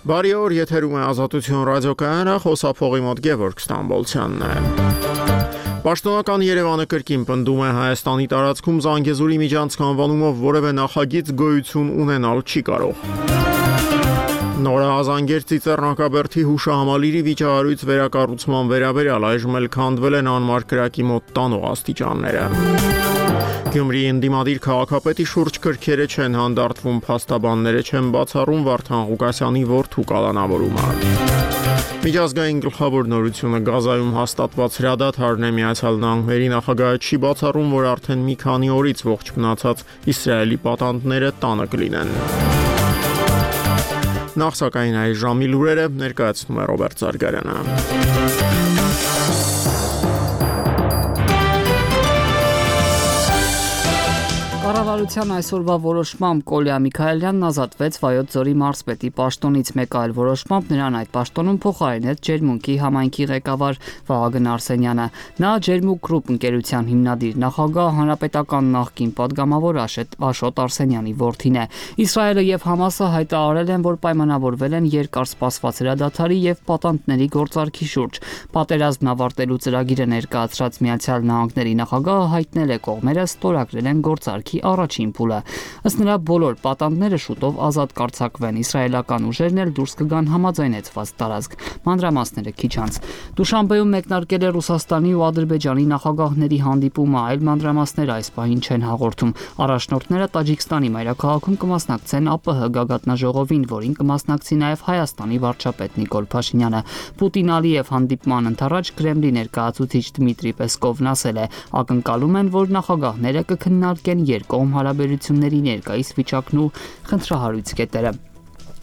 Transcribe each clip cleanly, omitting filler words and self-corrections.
Բարի օր, եթերում է Ազատություն ռադիոկայանը, խոսափողի մոտ Գևորգ Ստամբոլցյանն է։ Պաշտոնական Երևանը կրկին պնդում է Հայաստանի տարածքում Զանգեզուրի միջանցք անվանումով որևէ նախագիծ գոյություն ունենալ չի կարող։ Նորազանգեր Ծիծեռնակաբերդի հուշահամալիրի վիճահարույց վերակառուցման վերաբերյալ այժմ էլ քանդվել են անմար կրակի մոտ տանող աստիճանները։ Գյումրիի ընդդիմադիր քաղաքապետի շուրջ կրքերը չեն հանդարտվում, փաստաբանները չեն բացառում Վարդան Ղուկասյանի որդու կալանավորումը։ Միջազգային գլխավոր նորությունը Գազայում հաստատված հրադադարն է, Միացյալ Նահանգների նախագահը չի բացառում, որ արդեն մի քանի օրից ողջ մնացած Իսրայելի պատանդները տանը կլինեն։ Նախ սակայն այս ժամի լուրերը ներկայացնում է Ռոբերտ Զարգարյանը։ Կառավարության այսօրվա որոշմամբ Կոլյա Միքայելյանն ազատվեց Վայոց ձորի մարզպետի պաշտոնից, մեկ այլ որոշմամբ նրան այդ պաշտոնում փոխարինեց Ջերմունքի համայնքի ղեկավար Վահագն Արսենյանը։ Նա Ջերմուկ Գրուպ ընկերության հիմնադիր նախագահ, հանրապետական նախկին падգամավոր Աշոտ Արսենյանի որդին է։ Իսրայելը եւ Համասը հայտարարել են, որ պայմանավորվել են երկար սպասված հրադադարի եւ պատանդների գործարքի շուրջ։ Պատերազմն ավարտելու ծրագիրը ներկայացրած Միացյալ Նահանգների նախագահը հայտնել է, կողմերը ստորագրել են գործարքի առաջին փուլը։ Ըստ նրա բոլոր պատանդները շուտով ազատ կարձակվեն, իսրայելական ուժերն էլ դուրս կգան համաձայնեցված տարածք։ Մանրամասները քիչ անց։ Դուշանբեում մեկնարկել է Ռուսաստանի ու Ադրբեջանի նախագահների հանդիպումը, այլ մանրամասներ այս պահին չեն հաղորդում։ Առաջնորդները Տաջիկստանի մայրաքաղաքում կմասնակցեն ԱՊՀ գագաթնաժողովին, որին կմասնակցի նաև Հայաստանի վարչապետ Նիկոլ Փաշինյանը։ Պուտին-Ալիև հանդիպման ընթառաջ Կրեմլի ներկայացուցիչ Դմիտրի Պեսկովն ասել է, ակնկալում են, որ նախագահները կքննարկեն երկկողմ հարաբերությունների ներկայիս վիճակն ու խնդրահարույց կետերը։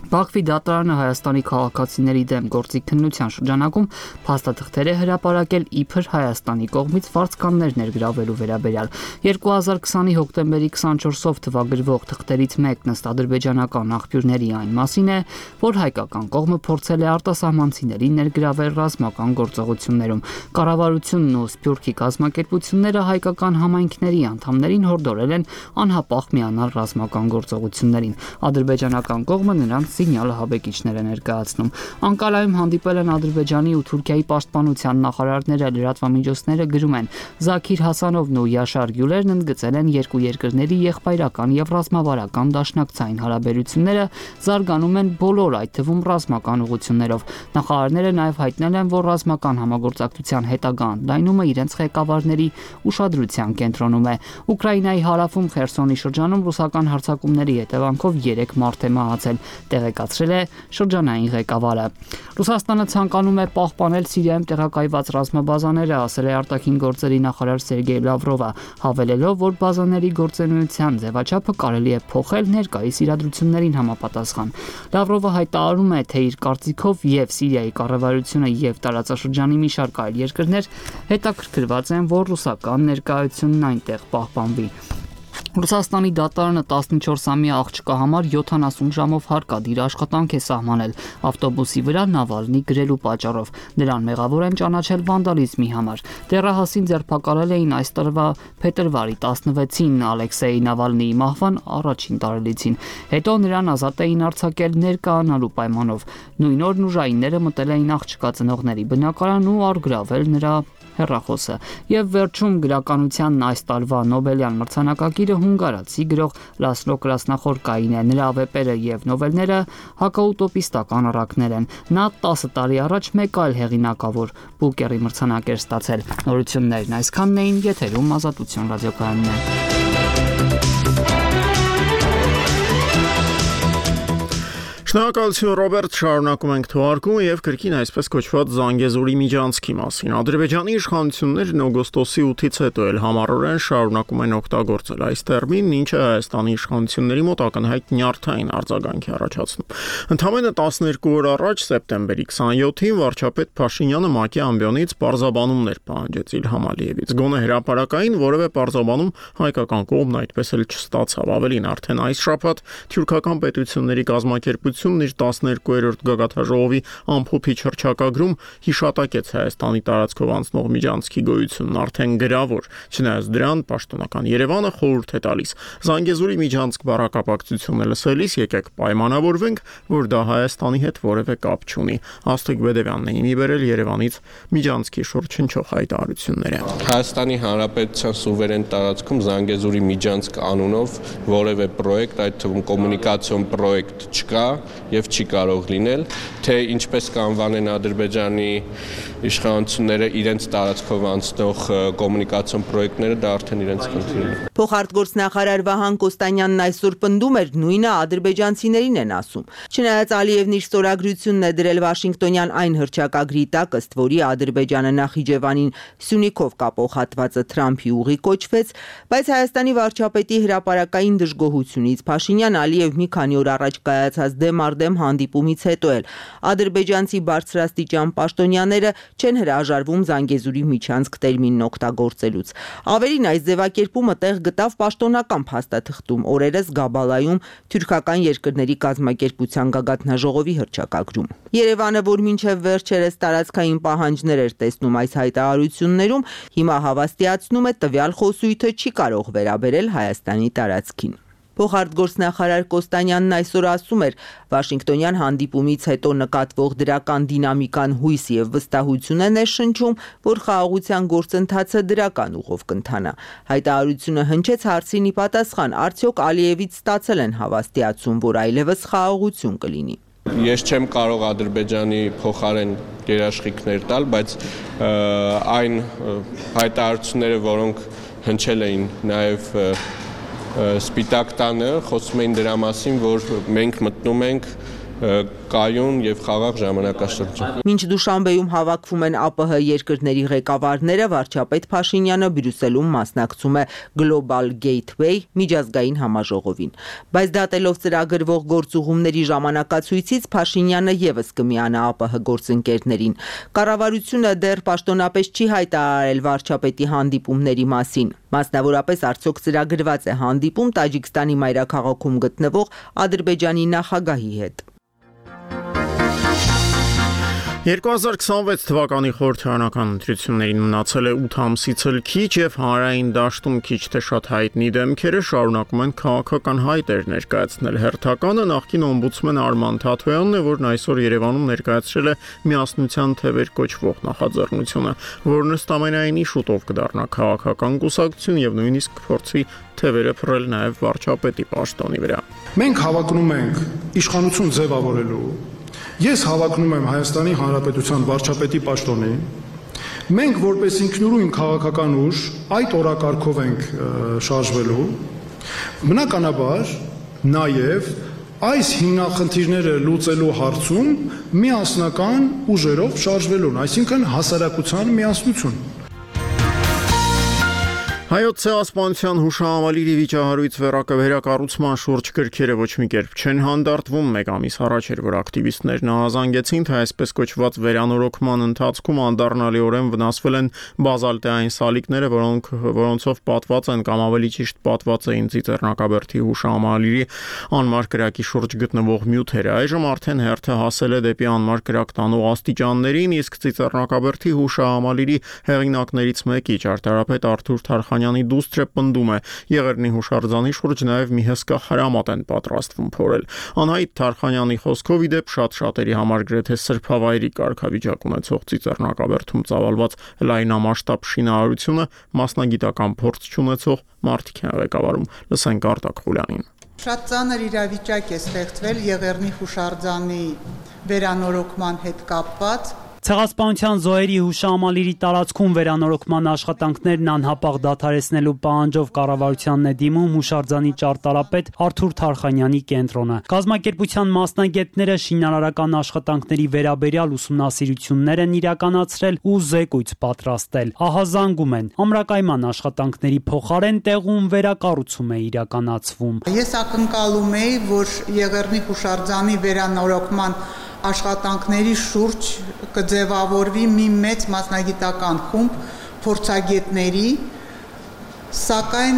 Բաքվի դատարանը Հայաստանի քաղաքացիների դեմ գործի քննության շրջանակում փաստաթղթեր է հրապարակել իբր Հայաստանի կողմից վարձկաններ ներգրավելու վերաբերյալ։ 2020-ի հոկտեմբերի 24-ով թվագրվող թղթերից մեկն ըստ ադրբեջանական աղբյուրների այն մասին է, որ հայկական կողմը փորձել է արտասահմանցիներին ներգրավել ռազմական գործողություններում։ Կառավարությունն ու Սփյուռքի կազմակերպությունները հայկական համայնքների անդամներին հորդորել են անհապաղ միանալ ռազմական գործողություններին։ Ադրբեջանական կողմը նրանց սիգնալը հավեկիչներ է ներկայացնում։ Անկարայում հանդիպել են Ադրբեջանի ու Թուրքիայի պաշտպանության նախարարները, լրատվամիջոցները գրում են. Զաքիր Հասանովն ու Յաշար Գյուլերն ընդգծել են երկու երկրների եղբայրական եւ ռազմավարական դաշնակցային հարաբերությունները զարգանում են բոլոր, այդ թվում ռազմական ուղղություններով։ Նախարարները նաեւ հայտնել են, որ ռազմական համագործակցության հետագա ընդլայնումը իրենց ղեկավարների ուշադրության կենտրոնում է։ Ուկրաինայի հարավում Խերսոնի շրջանում ռուսական հարձակումների հետևանքով 3 մարդ է մահացել, տեղեկացրել է շրջանային ղեկավարը։ Ռուսաստանը ցանկանում է պահպանել Սիրիայում տեղակայված ռազմաբազաները, ասել է արտաքին գործերի նախարար Սերգեյ Լավրովը, հավելելով, որ բազաների գործունեության ձևաչափը կարելի է փոխել ներկայիս իրադրություններին համապատասխան։ Լավրովը հայտարարում է, թե իր կարծիքով եւ Սիրիայի կառավարությունը եւ տարածաշրջանի մի շարք այլ երկրներ հետաքրքրված են, որ ռուսական ներկայությունն այնտեղ պահպանվի։ Ռուսաստանի դատարանը 14-ամյա աղջկա համար 70 ժամով հարկադիր աշխատանք է սահմանել ավտոբուսի վրա Նավալնի գրելու պատճառով։ Նրան մեղավոր են ճանաչել վանդալիզմի համար։ Դեռահասին ձերբակալել էին այս տարվա փետրվարի 16-ին Ալեքսեյ Նավալնիի մահվան առաջին տարելիցին։ Հետո նրան ազատ էին արձակել ներկայանալու պայմանով։ Նույն օրն ուժայինները մտել էին աղջկա ծնողների բնակարան ու առգրավել նրա հեռախոսը։ Եվ վերջում գրականության այս տարվա Նոբելյան մրցանակակիրը հունգարացի գրող Լասլո Կրասնախորկային է։ Նրա վեպերը եւ նովելները հակաուտոպիստական առակներ են։ Նա 10 տարի առաջ մեկ այլ հեղինակավոր Բուկերի մրցանակ էր ստացել։ Նորություններն այսքանն էին, եթերում Ազատություն ռադիոկայանն է։ Շնորհակալություն Ռոբերտ, շարունակում ենք թողարկումը եւ կրկին այսպես կոչված Զանգեզուրի միջանցքի մասին։ Ադրբեջանի իշխանություններն օգոստոսի 8-ից հետո էլ համառորեն շարունակում են օգտագործել այս տերմինն, ինչը Հայաստանի իշխանությունների մոտ ակնհայտ նյարդային արձագանք է առաջացնում։ Ընդամենը 12 օր առաջ, սեպտեմբերի 27-ին, վարչապետ Փաշինյանը ՄԱԿ-ի ամբիոնից պարզաբանումներ պահանջեց Իլհամ Ալիևից։ Գոնե հրապարակային որևէ պարզաբանում հայկական կողմն այդպես էլ չստացավ։ Ավելին, արդեն այս շաբաթ թուրքական պետությունների կազմակերպությունը հանրապետությունն իր 12-րդ գագաթաժողովի ամփոփիչ հռչակագրում հիշատակեց Հայաստանի տարածքով անցնող միջանցքի գոյությունն արդեն գրավոր, չնայած դրան պաշտոնական Երևանը խորհուրդ է տալիս Զանգեզուրի միջանցք բառակապակցությունը լսելիս եկեք պայմանավորվենք, որ դա Հայաստանի հետ որևէ կապ չունի։ Աստղիկ Բեդևյանն է իմի բերել Երևանից միջանցքի շուրջ հնչող հայտարարությունները։ Հայաստանի Հանրապետության սուվերեն տարածքում Զանգեզուրի միջանցք անունով որևէ պրոյեկտ, այդ թվում կոմունիկացիոն պրոյեկտ չկա եւ չի կարող լինել, թե ինչպես կանվանեն Ադրբեջանի իշխանությունները իրենց տարածքով անցնող կոմունիկացիոն պրոյեկտները, դա արդեն իրենց խնդիրն է։ Փոխարտգործնախարար Վահան Կոստանյանն այսօր պնդում էր, նույնը ադրբեջանցիներին են ասում։ Չնայած Ալիևն իր ստորագրությունն է դրել Վաշինգտոնյան այն հռչակագրի տակ, ըստ որի Ադրբեջանը Նախիջևանին Սյունիքով կապող հատվածը Թրամփի ուղի կոչվեց, բայց Հայաստանի վարչապետի հրապարակային դժգոհությունից Փաշինյան Ալիև մի քանի օր առաջ կայացած դեմ հանդիպումից հետո էլ ադրբեջանցի բարձրաստիճան պաշտոնյաները չեն հրաժարվում Զանգեզուրի միջանցք տերմինն օգտագործելուց։ Ավելին, այս ձևակերպումը տեղ գտավ պաշտոնական փաստաթղթում օրերս Գաբալայում թուրքական երկրների կազմակերպության գագաթնաժողովի հռչակագրում։ Երևանը, որ մինչև վերջերս տարածքային պահանջներ էր տեսնում այս հայտարարություններում, հիմա հավաստիացնում է տվյալ խոսույթը չի կարող վերաբերել Հայաստանի տարածքին։ Փոխարտգործնախարար Կոստանյանն այսօր ասում էր, Վաշինգտոնյան հանդիպումից հետո նկատվող դրական դինամիկան հույս եւ վստահություն է ներշնչում, որ խաղաղության գործընթացը դրական ուղով կընթանա։ Հայտարարությունը հնչեց հարցին ի պատասխան, արդյոք Ալիևից ստացել են հավաստիացում, որ այլևս խաղաղություն կլինի։ Ես չեմ կարող Ադրբեջանի փոխարեն երաշխիքներ տալ, բայց այն հայտարարությունները, որոնք հնչել էին նաև Սպիտակ տանը, խոսում էին դրա մասին, որ մենք մտնում ենք կայուն եւ խաղաղ ժամանակաշրջան։ Մինչ Դուշանբեում հավաքվում են ԱՊՀ երկրների ղեկավարները, վարչապետ Փաշինյանը Բրյուսելում մասնակցում է Global Gateway միջազգային համաժողովին։ Բայց դատելով ծրագրվող գործուղումների ժամանակացույցից Փաշինյանը եւս կմիանա ԱՊՀ գործընկերներին։ Կառավարությունը դեռ պաշտոնապես չի հայտարարել վարչապետի հանդիպումների մասին։ Մասնավորապես արդյոք ծրագրված է հանդիպում Տաջիկստանի մայրաքաղաքում գտնվող Ադրբեջանի նախագահի հետ։ 2026 թվականի խորհրդարանական ընտրություններին մնացել է 8 ամսից էլ քիչ եւ հանրային դաշտում քիչ թե շատ հայտնի դեմքերը շարունակում են քաղաքական հայտեր ներկայացնել։ Հերթականը նախկին օմբուդսմեն Արման Թաթոյանն է, որն այսօր Երևանում ներկայացրել է միասնության թևեր կոչվող նախաձեռնությունը, որն ըստ ամենայնի շուտով կդառնա քաղաքական կուսակցություն եւ նույնիսկ կփորձի թևերը փռել նաեւ վարչապետի պաշտոնի վրա։ Մենք հավակնում ենք իշխանություն ձևավորելու Ես հավակնում եմ Հայաստանի Հանրապետության վարչապետի պաշտոնի։ Մենք որպես ինքնուրույն քաղաքական ուժ այդ օրակարգով ենք շարժվելու։ Բնականաբար նաև այս հիմնախնդիրները լուծելու հարցում միասնական ուժերով շարժվելուն, այսինքն հասարակության միասնություն։ Հայոց ցեղասպանության հուշահամալիրի վիճահարույց վերակառուցման շուրջ գրքերը ոչ մի կերպ չեն հանդարտվում։ Մեկ ամիս առաջ էր, որ ակտիվիստներն ահազանգեցին, թե այսպես կոչված վերանորոգման ընթացքում անդառնալիորեն վնասվել են բազալտային սալիկները, որոնցով պատված են կամ ավելի ճիշտ պատված էին Ծիծեռնակաբերդի հուշահամալիրի անմար կրակի շուրջ գտնվող նյութերը։ Այժմ արդեն հերթը հասել է դեպի անմար կրակ տանող աստիճաններին, իսկ Ծիծեռնակաբերդի հուշահամալիրի հեղինակներից մեկի ճարտարապետ Արթուր Թարխանյանի դուստրը պնդում է, Եղեռնի հուշարձանի շուրջ նաև մի հսկա հրամատ են պատրաստվում փորել։ Անհայտ Թարխանյանի խոսքով ի դեպ շատ-շատերի համար գրեթե սրբավայրի կարգավիճակ ունեցող Ծիծեռնակաբերդում ծավալված լայնամասշտաբ շինարարությունը մասնագիտական փորձ չունեցող մարդիկ են ղեկավարում։ Լսենք Արտակ Խուլյանին։ Շատ ծանր իրավիճակ է ստեղծվել Եղեռնի հուշարձանի վերանորոգման հետ կապված։ Ցեղասպանության զոհերի հուշահամալիրի տարածքում վերանորոգման աշխատանքներն անհապաղ դադարեցնելու պահանջով կառավարությանն է դիմում հուշարձանի ճարտարապետ Արթուր Թարխանյանի կենտրոնը։ Կազմակերպության մասնագետները շինարարական աշխատանքների վերաբերյալ ուսումնասիրություններ են իրականացրել ու զեկույց պատրաստել։ Ահազանգում են, ամրակայման աշխատանքների փոխարեն տեղում վերակառուցում է իրականացվում։ Ես ակնկալում եի, որ Եղեռնի հուշարձանի վերանորոգման աշխատանքների շուրջ կձևավորվի մի մեծ մասնագիտական խումբ փորձագետների, Սակայն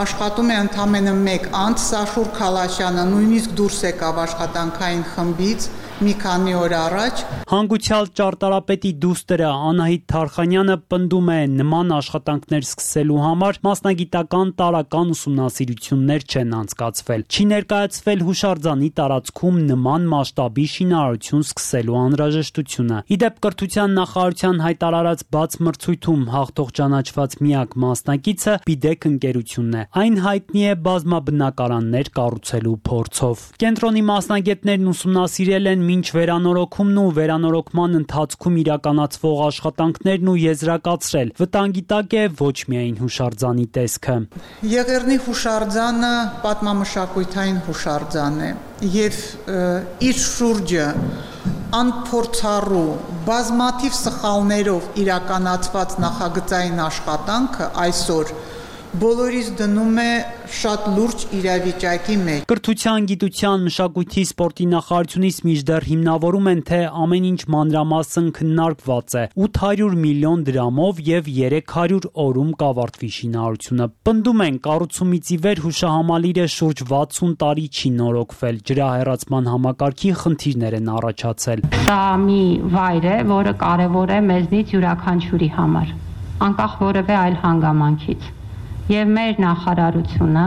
աշխատում է ընդամենը մեկ անձ, Սաշուր Քալաշյանը նույնիսկ դուրս եկավ աշխատանքային խմբից մի քանի օր առաջ։ Հանգուցյալ ճարտարապետի դուստրը Անահիտ Թարխանյանը պնդում է նման աշխատանքներ սկսելու համար մասնագիտական տարրական ուսումնասիրություններ չեն անցկացվել։ Չի ներկայացվել հուշարձանի տարածքում նման մասշտաբի շինարարություն սկսելու անհրաժեշտությունը։ Իդեպ կրթության նախարարության հայտարարած բաց մրցույթում հաղթող ճանաչված միակ մասնակիցը Բիդեկ ընկերությունն է։ Այն հայտնի է բազմաբնակարաններ կառուցելու փորձով։ Կենտրոնի մասնագետներն ուսումնասիրել են մինչ վերանորոգումն ու վերանորոգման ընթացքում իրականացվող աշխատանքներն ու եզրակացրել։ Վտանգի տակ է ոչ միայն հուշարձանի տեսքը։ Եղեռնի հուշարձանը պատմամշակութային հուշարձան է եւ իր շուրջը անփորձառու բազմաթիվ սխալներով իրականացված նախագծային աշխատանքը այսօր բոլորիս դնում է շատ լուրջ իրավիճակի մեջ։ Կրթության, գիտության, մշակույթի, սպորտի նախարարությունից մինչդեռ հիմնավորում են, թե ամեն ինչ մանրամասն քննարկված է 800 միլիոն դրամով եւ 300 օրում կավարտվի շինարարությունը։ Պնդում են, կառուցումից ի վեր հուշահամալիրը շուրջ 60 տարի չի նորոգվել։ Ջրահեռացման համակարգի խնդիրներ են առաջացել։ Սա մի վայր է, որը կարևոր է մեզնից յուրաքանչյուրի համար, անկախ որևէ այլ հանգամանքից։ Եվ մեր նախարարությունը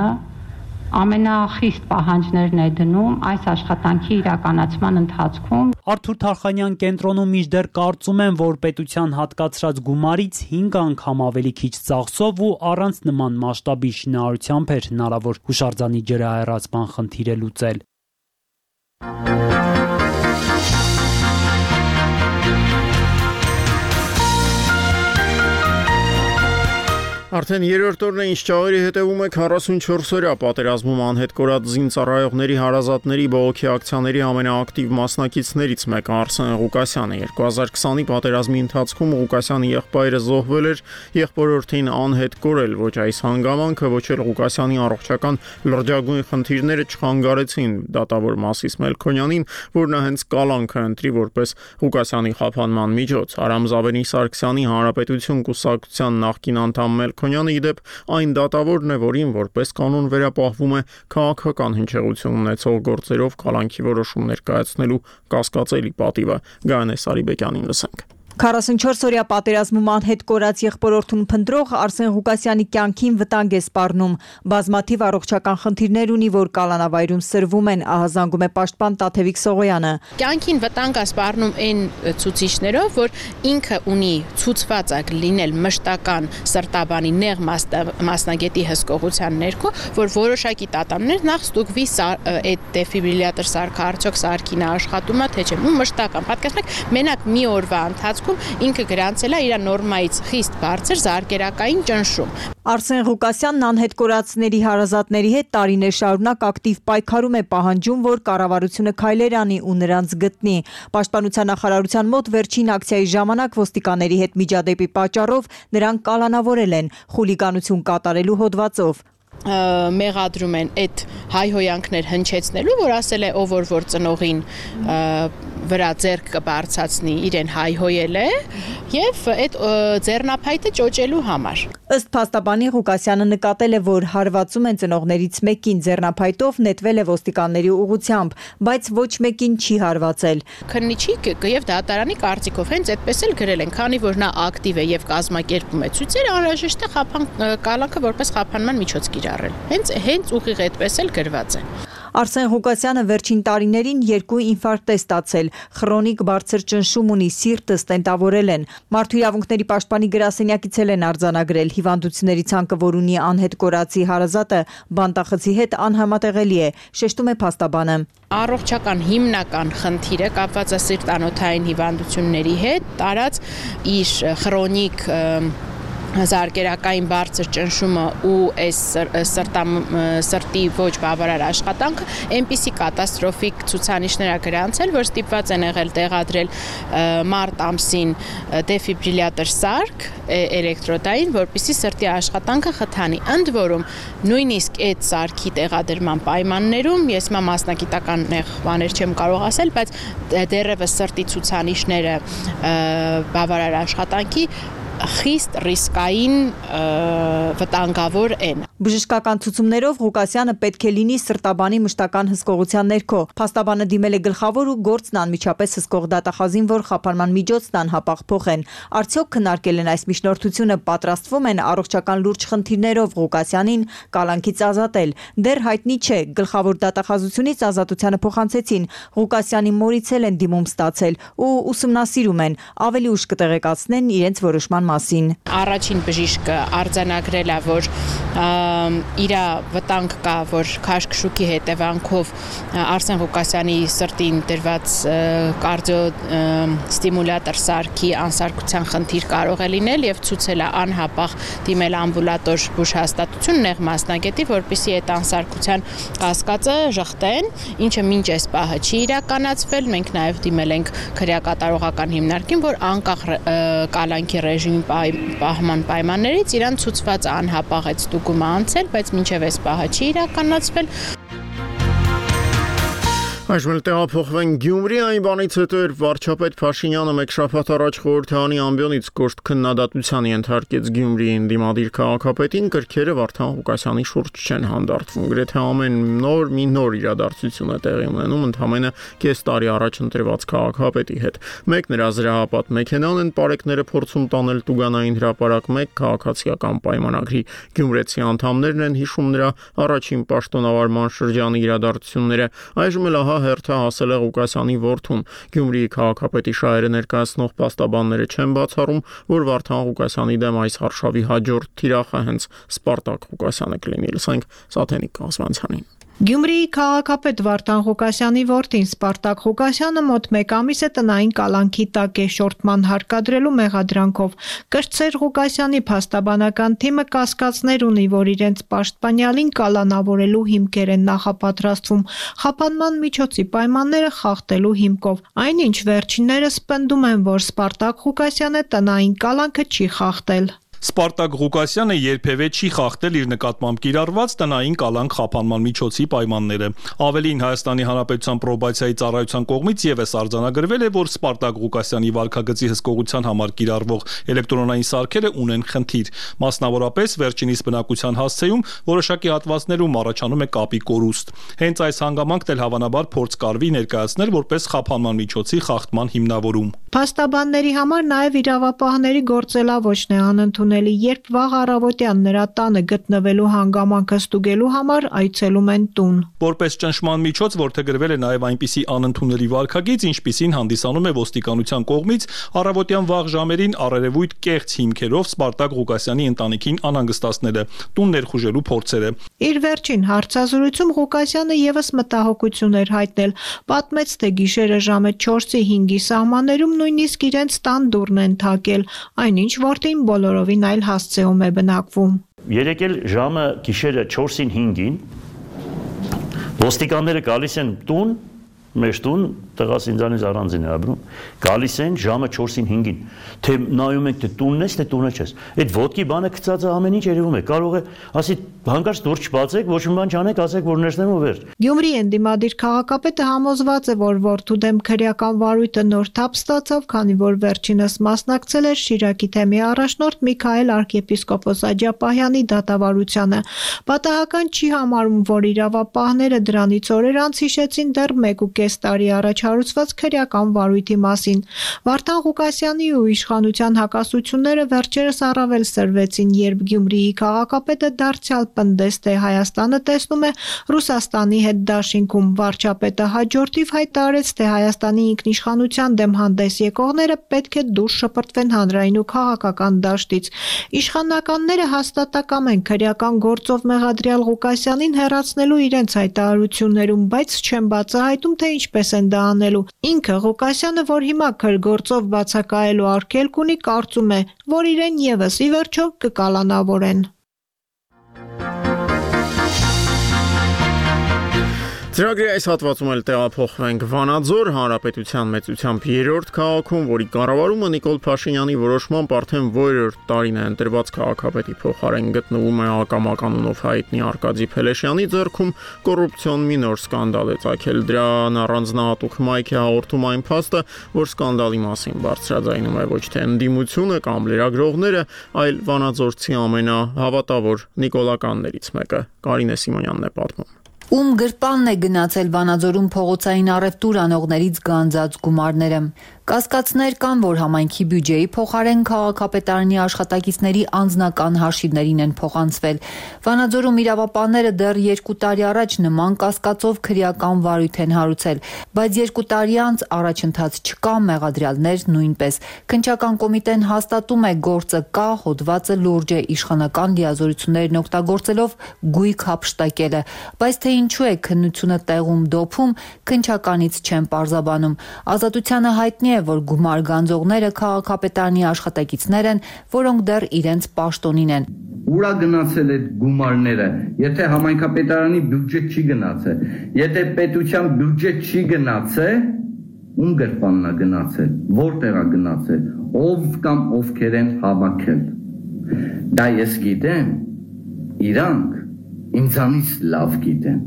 ամենախիստ պահանջներն է դնում այս աշխատանքի իրականացման ընթացքում։ Արթուր Թարխանյան կենտրոնում մինչդեռ կարծում են, որ պետության հատկացրած գումարից 5 անգամ ավելի քիչ ծախսով ու առանց նման մասշտաբի շինարարությամբ էր հնարավոր հուշարձանի ջրահեռացման խնդիրը լուծել։ Արդեն երրորդ օրն է, ինչ ճաղերի հետևում է 44-օրյա պատերազմում անհետ կորած զինծառայողների հարազատների բողոքի ակցիաների ամենաակտիվ մասնակիցներից մեկը Արսեն Ղուկասյանը 2020-ի պատերազմի ընթացքում Ղուկասյանի եղբայրը զոհվել էր, եղբորորդին անհետ կորել, ոչ այս հանգամանքը, ոչ էլ Ղուկասյանի առողջական լրջագույն խնդիրները չխանգարեցին դատավոր Մասիս Մելքոնյանին, որ նա հենց կալանքը ընտրի որպես Ղուկասյանի խափանման միջոց։ Արամ Զավենի Սարգսյանի Հանրապետություն կուսակցության նախկին անդամ Մելքոնյանը իդեպ այն դատավորն է, որին որպես կանոն վերապահվում է քաղաքական հնչեղություն ունեցող գործերով կալանքի որոշումներ կայացնելու կասկածելի պատիվը։ Գայանե Սարիբեկյանին լսենք։ 44-օրյա պատերազմում անհետ կորած եղբորորդուն փնտրող Արսեն Ղուկասյանի կյանքին վտանգ է սպառնում։ Բազմաթիվ առողջական խնդիրներ ունի, որ կալանավայրում սրվում են, ահազանգում է պաշտպան Տաթևիկ Սողոյանը։ Կյանքին վտանգ է սպառնում այն ցուցիչներով, որ ինքը ունի ցուցված ակ լինել մշտական սրտաբանի նեղ մասնագետի հսկողության ներքո, որ որոշակի տատաններ նախ ստուգվի այդ դեֆիբրիլյատոր սարքը արդյոք սարքին աշխատում է թե չէ։ Մշտական պատկերացնեք, մենակ մի օրվա ինքը գրանցել է իր նորմայից խիստ բարձր զարկերակային ճնշում։ Արսեն Ղուկասյանն անհետ կորածների հարազատների հետ տարիներ շարունակ ակտիվ պայքարում է, պահանջում, որ կառավարությունը քայլեր անի ու նրանց գտնի։ Պաշտպանության նախարարության մոտ վերջին ակցիայի ժամանակ ոստիկանների հետ միջադեպի պատճառով նրան կալանավորել են խուլիգանություն կատարելու հոդվածով։ Մեղադրում են այդ հայհոյանքներ հնչեցնելու, որ ասել է ով որ ծնողին վրա ձեռք կբարձրացնի, իրեն հայհոյել է եւ այդ ձեռնափայտը ճոճելու համար։ Ըստ փաստաբանի Ղուկասյանը նկատել է, որ հարվածում են ծնողներից մեկին, ձեռնափայտով նետվել է ոստիկանների ուղղությամբ, բայց ոչ մեկին չի հարվածել։ Քննիչի եւ դատարանի կարծիքով հենց այդպես էլ գրել են, քանի որ նա ակտիվ է եւ կազմակերպում է ցույցեր, անհրաժեշտ է կալանքը որպես խափանման միջոց կիրառել։ Հենց ուղիղ այդպես էլ գրված է։ Արսեն Ղուկասյանը վերջին տարիներին 2 ինֆարկտ է ստացել, խրոնիկ բարձր ճնշում ունի, սիրտը ստենտավորել են։ Մարդու իրավունքների պաշտպանի գրասենյակից են արձանագրել հիվանդությունների ցանկը, որ ունի անհետ կորածի հարազատը, բանտախցի հետ անհամատեղելի է, շեշտում է փաստաբանը։ Առողջական հիմնական խնդիրը կապված է սիրտանոթային հիվանդությունների հետ, տարած իր խրոնիկ զարկերակային բարձր ճնշումը ու այս սրտի ոչ բավարար աշխատանքը այնպիսի կատաստրոֆիկ ցուցանիշներ գրանցել, որ ստիպված են եղել տեղադրել մարտ ամսին դեֆիբրիլյատոր սարք էլեկտրոդային, որպեսզի սրտի աշխատանքը խթանի։ Ընդ որում նույնիսկ այդ սարքի տեղադրման պայմաններում ես մասնագիտական բաներ չեմ կարող ասել, բայց դեռևս սրտի ցուցանիշները բավարար աշխատանքի խիստ ռիսկային վտանգավոր են։ Բժշկական ցուցումներով Ղուկասյանը պետք է լինի սրտաբանի մշտական հսկողության ներքո։ Փաստաբանը դիմել է գլխավոր ու գործն անմիջապես հսկող դատախազին, որ խափանման միջոցն անհապաղ փոխեն։ Արդյոք քննարկել են այս միջնորդությունը, պատրաստվում են առողջական լուրջ խնդիրներով Ղուկասյանին կալանքից ազատել։ Դեռ հայտնի չէ, գլխավոր դատախազությունից ազատությանը փոխանցեցին։ Ղուկասյանի մորից են դիմում ստացել ու ուսումնասիրում են, ավելի ուշ կտեղեկացնեն իրենց որոշման մասին։ Առաջին բժիշկը արձանագրել է, որ իր վտանգ կա, որ քաշքշուկի հետևանքով Արսեն Ղուկասյանի սրտին դրված կարդիո ստիմուլյատոր սարքի անսարքության խնդիր կարող է լինել եւ ցուցել է անհապաղ դիմել ամբուլատոր բուժհաստատություն նեղ մասնագետի, որպեսզի այդ անսարքության կասկածը ժխտեն, ինչը մինչ այս պահը չի իրականացվել։ Մենք նաեւ դիմել ենք քրեակատարողական հիմնարկին, որ անկախ կալանքի ռեժիմի պահման պայմաններից իրան ցուցված անհապաղ այդ ստուգումը անցել, բայց մինչև այս պահը չի իրականացվել։ Այժմ տեղափոխվենք Գյումրի, այն բանից հետո էր վարչապետ Փաշինյանը մեկ շաբաթ առաջ խորհրդարանի ամբիոնից կոշտ քննադատության ենթարկեց Գյումրիի ընդդիմադիր քաղաքապետին, կրքերը Վարդան Ղուկասյանի շուրջ չեն հանդարտվում։ Գրեթե ամեն նոր մի նոր իրադարձություն է տեղի ունենում ընդամենը կես տարի առաջ ընտրված քաղաքապետի հետ։ Մեկ նրա զրահապատ մեքենան են պարեկները փորձում տանել Տուգանային հրապարակ, մեկ քաղաքացիական պայմանագրի գյումրեցի անդամներն են հիշում նրա առաջին պաշտոնավարման շրջանի իրադարձությունները։ Այժմ էլ հերթը հասել է Ղուկասյանի որդուն։ Գյումրիի քաղաքապետի շահերը ներկայացնող փաստաբանները չեն բացառում, որ Վարդան Ղուկասյանի դեմ այս հարշավի հաջորդ թիրախը հենց Սպարտակ Ղուկասյանը կլինի։ Լսենք Սաթենիկ Կազմանցյանին։ Գյումրիի քաղաքապետ Վարդան Ղուկասյանի որդին Սպարտակ Ղուկասյանը մոտ մեկ ամիս է տնային կալանքի տակ է շորտման հարկադրելու մեղադրանքով։ Կրտսեր Ղուկասյանի փաստաբանական թիմը կասկածներ ունի, որ իրենց պաշտպանյալին կալանավորելու հիմքեր են նախապատրաստվում խափանման միջոցի պայմանները խախտելու հիմքով։ Այնինչ վերջիններս պնդում են, որ Սպարտակ Ղուկասյանը տնային կալանքը չի խախտել։ Սպարտակ Ղուկասյանը երբևէ չի խախտել իր նկատմամբ կիրառված տնային կալանք խափանման միջոցի պայմանները։ Ավելին, Հայաստանի Հանրապետության պրոբացիայի ծառայության կողմից եւս արձանագրվել է, որ Սպարտակ Ղուկասյանի վարքագծի հսկողության համար կիրառվող էլեկտրոնային սարքերը ունեն խնդիր։ Մասնավորապես, վերջինիս բնակության հասցեում որոշակի հատվածներում առաջանում է կապի կորուստ։ Հենց այս հանգամանքն էլ հավանաբար փորձ կարվի ներկայացնել որպես խափանման միջոցի խախտման հիմնավորում։ Փաստաբանների համար նաև իրավապահների գործելավոճն է անընդունելի, երբ վաղ առավոտյան նրա տանը գտնվելու հանգամանքը ստուգելու համար այցելում են տուն։ Որպես ճնշման միջոց որդեգրվել է նաև այնպիսի անընդունելի վարքագիծ, ինչպիսին հանդիսանում է ոստիկանության կողմից առավոտյան վաղ ժամերին առերևույթ կեղծ հիմքերով Սպարտակ Ղուկասյանի ընտանիքին անհանգստացնելը, տուն ներխուժելու փորձերը։ Իր վերջին հարցազրույցում Ղուկասյանը եւս մտահոգություն էր հայտնել, պատմեց, թե գիշերը ժամը 4-ի 5-ի սահմաններում նույնիսկ իրենց տան դուռն են թակել, այնինչ որդին բոլորովին այլ հասցեում է բնակվում։ Երեկել ժամը գիշերը 4-ին 5-ին ոստիկանները գալիս են տուն, մեր տուն, տղաս ինձանից առանձին է ապրում, գալիս են ժամը 4-ին 5-ին, թե նայում ենք, թե տունն ես, թե տունը չես։ Այդ ոտքի բանը գծածը ամեն ինչ երևում է, կարող է ասի հանկարծ դուր չբացեք, ոչ մի բան չանեք, ասեք, որ ներսնեմ ու վերջ։ Գյումրի ընդդիմադիր քաղաքապետը համոզված է, որ որդու դեմ քրեական վարույթը նոր թափ ստացավ, քանի որ վերջինս մասնակցել էր Շիրակի թեմի առաջնորդ Միքայել arczepiskopos Աջապահյանի դատավարությանը։ Պատահական չի համարում, որ իրավապահները դրանից օրեր անց հիշեցին դեռ 1.5 տարի առաջ հարուցված քրեական վարույթի մասին։ Վարդան Ղուկասյանի ու իշխանության հակասությունները վերջերս առավել սրվեցին, երբ Գյումրիի քաղաքապետը դարձյալ պնդեց, թե Հայաստանը տեսնում է Ռուսաստանի հետ դաշինքում։ Վարչապետը հաջորդիվ հայտարարեց, թե Հայաստանի ինքնիշխանության դեմ հանդես եկողները պետք է դուրս շպրտվեն հանրային ու քաղաքական դաշտից։ Իշխանականները հաստատակամ են քրեական գործով մեղադրյալ Ղուկասյանին հեռացնելու իրենց հայտարարություններում, բայց չեն բացահայտում, թե ինչպես են դա անելու։ Ինքը Ղուկասյանը, որ հիմա քրգործով բացակայելու արգելք ունի, կարծում է, որ իրեն եւս ի վերջո կկալանավորեն։ Ծրագրի այս հատվածում էլ տեղափոխվենք Վանաձոր հանրապետության մեծությամբ 3-րդ քաղաքում, որի կառավարումը Նիկոլ Փաշինյանի որոշմամբ արդեն որրորդ տարին է ընտրված քաղաքապետի փոխարեն գտնվում է ակամականունով հայտնի Արկադի Փելեշյանի ձեռքում կոռուպցիոն մի նոր սկանդալ է ծագել։ Դրան առանձնահատուկ մայք է հաղորդում այն փաստը, որ սկանդալի մասին բարձրաձայնում է ոչ թե ընդդիմությունը կամ լրագրողները, այլ վանաձորցի ամենահավատավոր նիկոլականներից մեկը։ Կարինե Սիմոնյանն է պատմում։ Ում գրպանն է գնացել Վանաձորում փողոցային առևտուր անողներից գանձած գումարները։ Կասկածներ կան, որ համայնքի բյուջեի փոխարեն քաղաքապետարանի աշխատակիցների անձնական հաշիվներին են փոխանցվել։ Վանաձորում իրավապահները դեռ 2 տարի առաջ նման կասկածով քրեական վարույթ են հարուցել, բայց 2 տարի անց առաջընթաց չկա, մեղադրյալներ նույնպես։ Քննչական կոմիտեն հաստատում է գործը կա, հոդվածը լուրջ է, իշխանական լիազորություններն օգտագործելով գույք հափշտակել է, բայց թե ինչու է քննությունը տեղում դոփում, քննչականից չեն պարզաբանում։ Ազատությանը հայտնի է, որ գումար գանձողները քաղաքապետարանի աշխատակիցներ են, որոնք դեռ իրենց պաշտոնին են։ Ուրա գնացել այդ գումարները, եթե համայնքապետարանի բյուջե չի գնացել, եթե պետության բյուջե չի գնացել, ում գրպանն է գնացել, որտեղ է գնացել, ով կամ ովքեր են հավաքել։ Դա ես գիտեմ, իրանք ինձանից լավ գիտեն։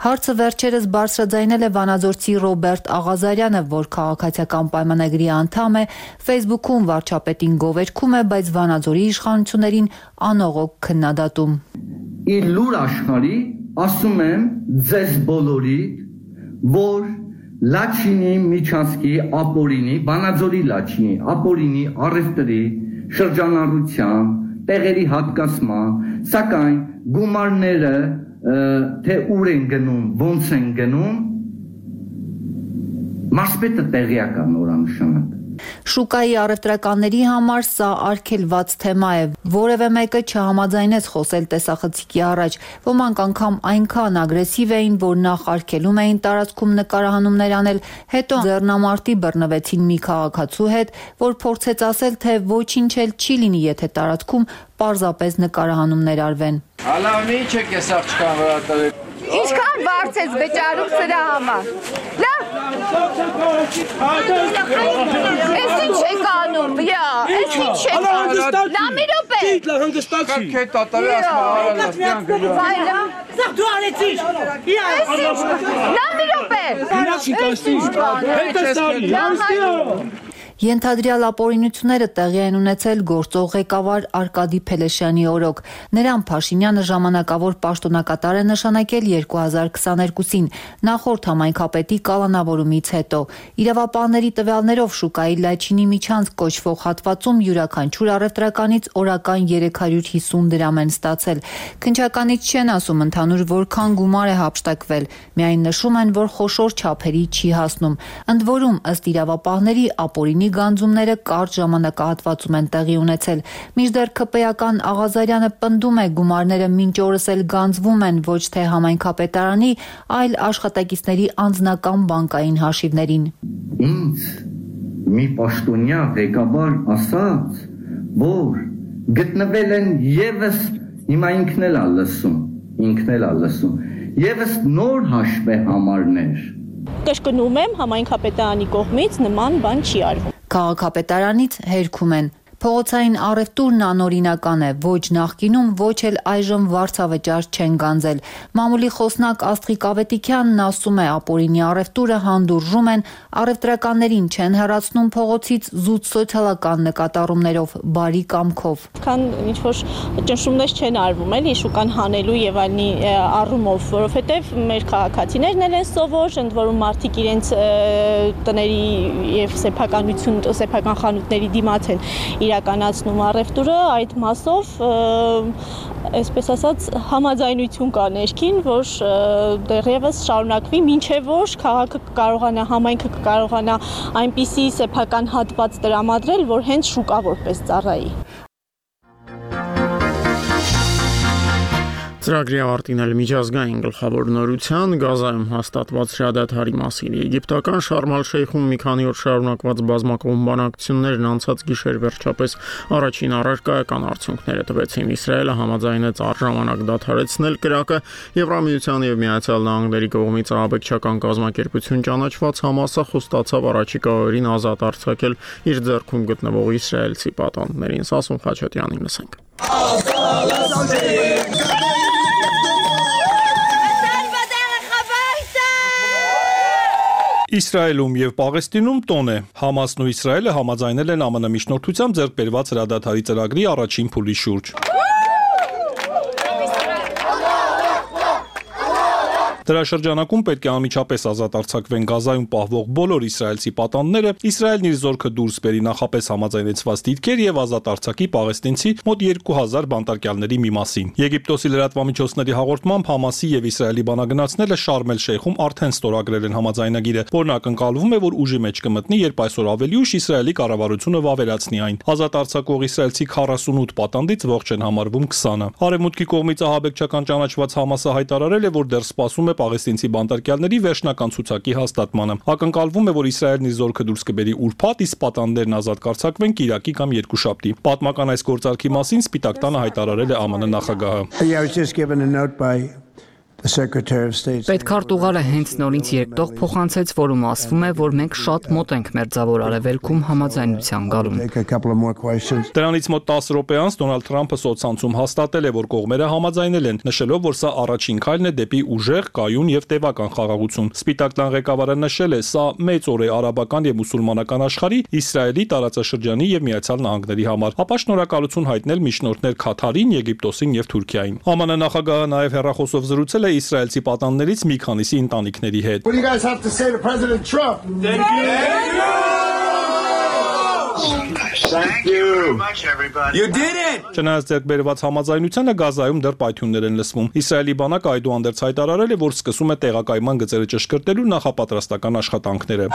Հարցը վերջերս բարձրաձայնել է վանաձորցի Ռոբերտ Աղազարյանը, որ քաղաքացիական պայմանագրի անդամ է, Facebook-ում վարչապետին գովերգում է, բայց Վանաձորի իշխանություններին անողոք քննադատում։ Իր լուր աշխարհի ասում եմ ձեզ բոլորի, որ Լաչինի միջանցքի ապօրինի, Վանաձորի Լաչինի ապօրինի առևտրի շրջանառության տեղերի հատկացման, սակայն գումարները թե ուր են գնում, ոնց են գնում, մարզպետը տեղյակ է նորանշանակ։ Շուկայի առևտրականների համար սա արգելված թեմա է, որևէ մեկը չհամաձայնեց խոսել տեսախցիկի առաջ, ոմանք անգամ այնքան ագրեսիվ էին, որ նախ արգելում էին տարածքում նկարահանումներ անել, հետո ձեռնամարտի բռնվեցին մի քաղաքացու հետ, որ փորձեց ասել, թե ոչինչ էլ չի լինի, եթե տարածքում պարզապես նկարահանումներ արվեն։ Ալավնի չեք ես աղջկան վրա տվել։ Ինչքան վարձեց վճարում սրա համար։ Էս ինչ եք անում, վյա, էս ինչ եք անում։ Նա մի րոպե։ Հանգստացի։ Կետ ատավի ասմահարան ասպյան գլյա։ Վայլա։ Սաղ դու արեցիր։ Էս ինչ, նա մի րոպե։ Հինացի կաստի, հետս տարի, Ենթադրյալ ապօրինությունները տեղի են ունեցել գործող ղեկավար Արկադի Փելեշյանի օրոք։ Նրան Փաշինյանը ժամանակավոր պաշտոնակատար է նշանակել 2022-ին, նախորդ համայնքապետի կալանավորումից հետո։ Իրավապահների տվյալներով շուկայի Լաչինի միջանցք կոչվող հատվածում յուրաքանչյուր առևտրականից օրական 350 դրամ են ստացել։ Քննչականից չեն ասում ընդհանուր որքան գումար է հափշտակվել, միայն նշում են, որ խոշոր չափերի չի հասնում։ Ընդ որում, ըստ իրավապահների ապօրինի գանձումները կարճ ժամանակահատվածում են տեղի ունեցել։ Մինչդեռ ԿՊ-ական Աղազարյանը պնդում է գումարները մինչ օրս էլ գանձվում են ոչ թե համայնքապետարանի, այլ աշխատակիցների անձնական բանկային հաշիվներին։ Ինձ մի պաշտոնյա ղեկավար ասաց, որ գտնվել են եւս հիմա ինքն էլ է լսում, եւս նոր հաշվե համարներ։ Կշկնում եմ, համայնքապետարանի կողմից նման բան չի արվում։ Քաղաքապետարանից հերքում են։ Փողոցային առևտուրն անօրինական է, ոչ նախկինում, ոչ էլ այժմ վարձավճար չեն գանձել։ Մամուլի խոսնակ Աստղիկ Ավետիքյանն ասում է, ապօրինի առևտուրը հանդուրժում են, առևտրականներին չեն հեռացնում փողոցից զուտ սոցիալական նկատառումներով, բարի կամքով։ Քան ինչ որ ճնշումներ չեն արվում, էլի շուկան հանելու եւ այլնի առումով, որովհետեւ մեր քաղաքացիներն են սովոր, ընդ որում մարդիկ իրենց տների եւ սեփական խանութների դիմաց են իրականացնում առևտուրը, այդ մասով այսպես ասած համաձայնություն կա ներքին, որ դեռևս շարունակվի, մինչև որ քաղաքը կարողանա, համայնքը կարողանա այնպիսի սեփական հատված տրամադրել, որ հենց շուկա որպես ծառայի։ Ծրագրի ավարտին էլ միջազգային գլխավոր նորության Գազայում հաստատված հրադադարի մասին։ Եգիպտական Շարմ ալ-Շեյխում մի քանի օր շարունակված բազմակողմ բանակցություններն անցած գիշեր վերջապես առաջին առարկայական արդյունքները տվեցին։ Իսրայելը համաձայնեց առժամանակ դադարեցնել կրակը, Եվրամիության եւ Միացյալ Նահանգների կողմից ահաբեկչական կազմակերպություն ճանաչված Համասը խոստացավ առաջիկա օրերին ազատ արձակել իր ձեռքում գտնվող իսրայելցի պատանդներին։ Սասուն Խաչատյանին լսենք։ Իսրայելում եւ Պաղեստինում տոն է։ Համասն ու Իսրայելը համաձայնել են ԱՄՆ միջնորդությամբ ձեռք բերված հրադադարի ծրագրի առաջին փուլի շուրջ։ Դրա շրջանակում պետք է անմիջապես ազատ արձակվեն Գազայում պահվող բոլոր իսրայելցի պատանդները, Իսրայելն իր զորքը դուրս բերի նախապես համաձայնեցված դիրքեր եւ ազատ արձակի պաղեստինցի մոտ 2000 բանտարկյալների մի մասին։ Եգիպտոսի լրատվամիջոցների հաղորդմամբ Համասի եւ Իսրայելի բանագնացները Շարմ el-Շեյխում արդեն ստորագրել են համաձայնագիրը, որն ակնկալվում է, որ ուժի մեջ կմտնի, երբ այսօր ավելի ուշ Իսրայելի կառավարությունը վավերացնի այն։ Ազատ արձակող իսրայելցի 48 պատանդից ողջ են համարվում 20-ը։ Արևմուտքի կողմից ահաբեկչական ճանաչված Համասը հայտարարել է, որ դեռ սպասում է պաղեստինցի բանտարկյալների վերջնական ցուցակի հաստատմանը։ Ակնկալվում է, որ Իսրայելն իր զորքը դուրս կբերի ուրբաթ, իսկ պատանդներն ազատ կարձակվեն կիրակի կամ երկուշաբթի։ Պատմական այս գործարքի մասին Սպիտակ տանը հայտարարել է ԱՄՆ նախագահը։ Պետքարտուղարը հենց նորից երկտող փոխանցեց, որում ասվում է, որ մենք շատ մոտ ենք մերձավոր արևելքում համաձայնության գալուն։ Դրանից մոտ 10 րոպե անց Դոնալդ Թրամփը սոցցանցում հաստատել է, որ կողմերը համաձայնել են, նշելով, որ սա առաջին քայլն է դեպի ուժեղ, կայուն եւ տևական խաղաղություն։ Սպիտակ տան ղեկավարը նշել է, սա մեծ օր է արաբական եւ մուսուլմանական աշխարհի, Իսրայելի, տարածաշրջանի եւ Միացյալ Նահանգների համար։ Ապա շնորհակալություն հայտնել միջնորդներ Քաթարին, Եգիպտոսին եւ Թուրքիային։ ԱՄՆ նախագահը նաեւ հեռախոսով զրուցել է իսրայելցի պատանդներից մի քանիսի ընտանիքների հետ։ Չնայած ձեռք բերված համաձայնությանը Գազայում դեռ պայթյուններ են լսվում։ Իսրայելի բանակը այդուհանդերձ հայտարարել է, որ սկսում է տեղակայման գծերը ճշգրտելու նախապատրաստական աշխատանքները։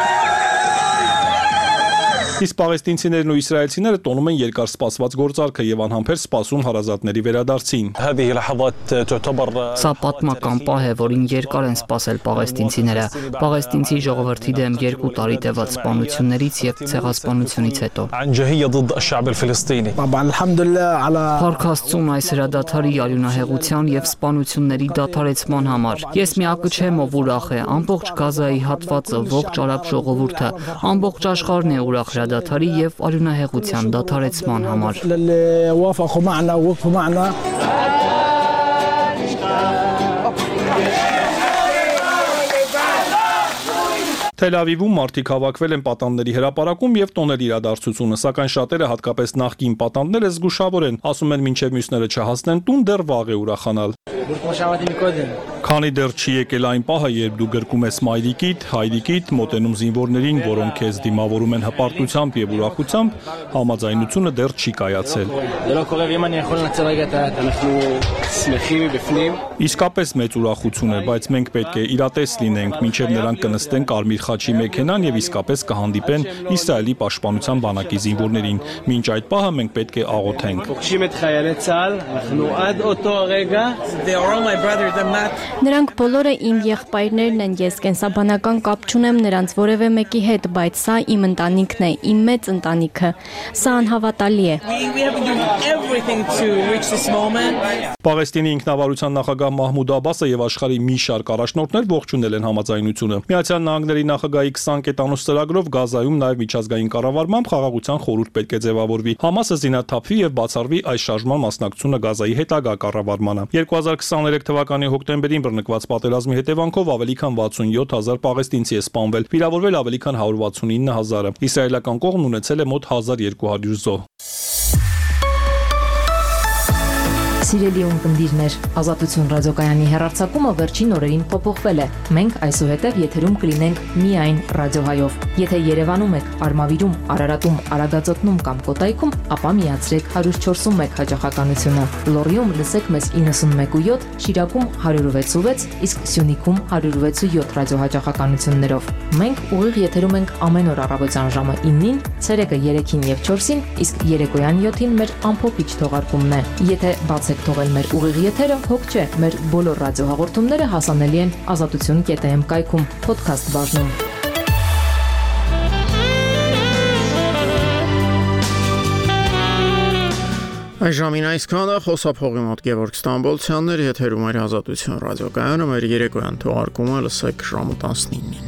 Իսկ պաղեստինցիներն ու իսրայելցիները տոնում են երկար սպասված գործարքը եւ անհամբեր սպասում հարազատների վերադարձին։ Սա պատմական պահ է, որին երկար են սպասել պաղեստինցիները։ Պաղեստինցի ժողովրդի դեմ 2 տարի տևած սպանություններից եւ ցեղասպանությունից հետո։ Փառք Աստծուն այս հրադադարի արյունահեղության եւ սպանությունների դադարեցման համար։ Ես միակը չեմ, ով ուրախ է, ամբողջ Գազայի հատվածը, ողջ արաբ ժողովուրդը, ամբողջ աշխարհն է ուրախ դադարի եւ արյունահեղության դադարեցման համար։ Թել Ավիվում մարդիկ հավաքվել են պատանդների հրապարակում եւ տոնել իրադարձությունը, սակայն շատերը, հատկապես նախկին պատանդները, զգուշավոր են, ասում են, մինչեւ մյուսները չհասնեն տուն, դեռ վաղ է ուրախանալ։ Քանի դեռ չի եկել այն պահը, երբ դու գրկում ես մայրիկիդ, հայրիկիդ, մոտենում զինվորներին, որոնք քեզ դիմավորում են հպարտությամբ եւ ուրախությամբ, համաձայնությունը դեռ չի կայացել։ Իսկապես մեծ ուրախություն է, բայց մենք պետք է իրատես լինենք, մինչեւ նրանք կնստեն Կարմիր խաչի մեքենան եւ իսկապես կհանդիպեն Իսրայելի պաշտպանության բանակի զինվորներին։ Մինչ այդ պահը մենք պետք է աղոթենք։ Նրանք բոլորը իմ եղբայրներն են, ես կենսաբանական կապ չունեմ նրանց որևէ մեկի հետ, բայց սա իմ ընտանիքն է, իմ մեծ ընտանիքը։ Սա անհավատալի է։ Պաղեստինի ինքնավարության նախագահ Մահմուդ Աբասը եւ աշխարհի մի շարք առաջնորդներ ողջունել են համաձայնությունը։ Միացյալ Նահանգների նախագահի 20 կետանոց ծրագրով Գազայում նաեւ միջազգային կառավարմամբ խաղաղության խորհուրդ պետք է ձևավորվի։ Համասը զինաթափվի եւ բացառվի այս շարժման մասնակցությունը Գազայի հետագա կառավարմանը։ 2023 թվականի հոկտեմբերին բռնկված պատերազմի հետևանքով ավելի քան 67000 պաղեստինցի է սպանվել, վիրավորվել ավելի քան 169000-ը։ Իսրայելական կողմն ունեցել է մոտ 1200 զոհ։ Սիրելի ունկնդիրներ, Ազատություն ռադիոկայանի հեռարձակումը վերջին օրերին փոփոխվել է։ Մենք այսուհետև եթերում կլինենք միայն ռադիոհայով։ Եթե Երևանում եք, Արմավիրում, Արարատում, Արագածոտնում կամ Կոտայքում, ապա միացրեք 104.1 հաճախականությունը։ Լոռիում լսեք մեզ 91.7, Շիրակում 106.6, իսկ Սյունիքում 106.7 ռադիոհաճախականություններով։ Մենք ուղիղ եթերում ենք ամեն օր առավոտյան ժամը 9-ին, ցերեկը 3-ին եւ 4-ին, իսկ երեկոյան 7-ին մեր ամփոփիչ թողարկումն է։ Եթե բացեք հետ թողել մեր ուղիղ եթերը, հոգ չէ, մեր բոլոր ռադիոհաղորդումները հասանելի են azatutun.am կայքում, podcast բաժնում։ Այժմին այսքանը խոսափողի մոտ Գևորգ Ստամբոլցյանն էր, եթերում էր Ազատություն ռադիոկայանը, մեր երեկոյան թողարկումը լսեք ժամը 19-ին։